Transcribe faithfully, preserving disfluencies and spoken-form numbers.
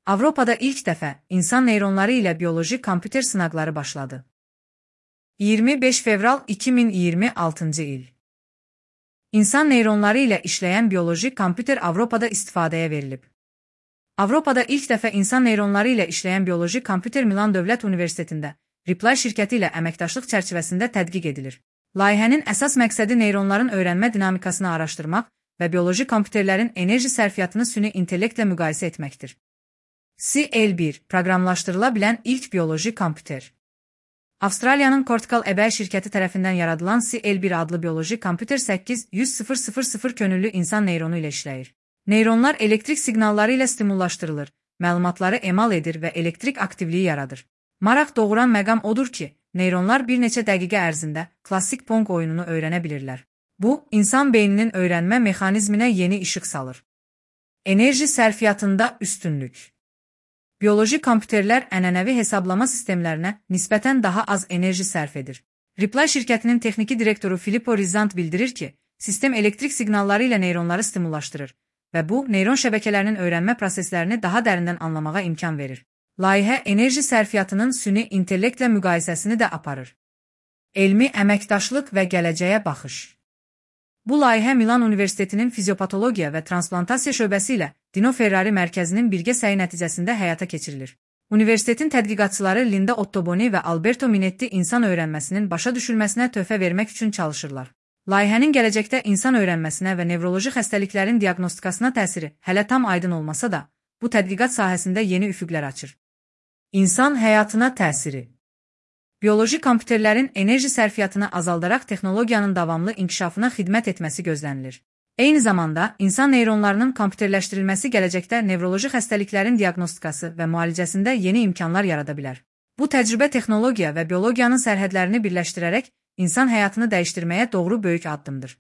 Avropada ilk dəfə insan neyronları ilə bioloji kompüter sınaqları başladı. iyirmi beş fevral iki min iyirmi altıncı il. İnsan neyronları ilə işləyən bioloji kompüter Avropada istifadəyə verilib. Avropada ilk dəfə insan neyronları ilə işləyən bioloji kompüter Milan Dövlət Universitetində Reply şirkəti ilə əməkdaşlıq çərçivəsində tədqiq edilir. Layihənin əsas məqsədi neyronların öyrənmə dinamikasını araşdırmaq və bioloji kompüterlərin enerji sərfiyyatını süni intellektlə müqayisə etməkdir. C L bir proqramlaşdırıla bilən ilk bioloji kompüter. Avstraliyanın Cortical A B şirkəti tərəfindən yaradılan C L bir adlı bioloji kompüter səkkiz yüz min könüllü insan neyronu ilə işləyir. Neyronlar elektrik siqnalları ilə stimullaşdırılır, məlumatları emal edir və elektrik aktivliyi yaradır. Maraq doğuran məqam odur ki, neyronlar bir neçə dəqiqə ərzində klassik Pong oyununu öyrənə bilirlər. Bu, insan beyninin öyrənmə mexanizminə yeni işıq salır. Enerji sərfiyyatında üstünlük. Bioloji kompüterlər ənənəvi hesablama sistemlərinə nisbətən daha az enerji sərf edir. Reply şirkətinin texniki direktoru Filippo Rizzant bildirir ki, sistem elektrik siqnalları ilə neyronları stimullaşdırır və bu, neyron şəbəkələrinin öyrənmə proseslərini daha dərindən anlamağa imkan verir. Layihə enerji sərfiyyatının süni intellektlə müqayisəsini də aparır. Elmi əməkdaşlıq və gələcəyə baxış. Bu layihə Milan Universitetinin fiziopatologiya və transplantasiya şöbəsi ilə Dino Ferrari mərkəzinin birgə səyi nəticəsində həyata keçirilir. Universitetin tədqiqatçıları Linda Ottoboni və Alberto Minetti insan öyrənməsinin başa düşülməsinə töhfə vermək üçün çalışırlar. Layihənin gələcəkdə insan öyrənməsinə və nevroloji xəstəliklərin diaqnostikasına təsiri hələ tam aydın olmasa da, bu tədqiqat sahəsində yeni üfüqlər açır. İnsan həyatına təsiri. Bioloji kompüterlərin enerji sərfiyyatını azaldaraq texnologiyanın davamlı inkişafına xidmət etməsi gözlənilir. Eyni zamanda, insan neyronlarının kompüterləşdirilməsi gələcəkdə nevroloji xəstəliklərin diaqnostikası və müalicəsində yeni imkanlar yarada bilər. Bu təcrübə texnologiya və biologiyanın sərhədlərini birləşdirərək insan həyatını dəyişdirməyə doğru böyük addımdır.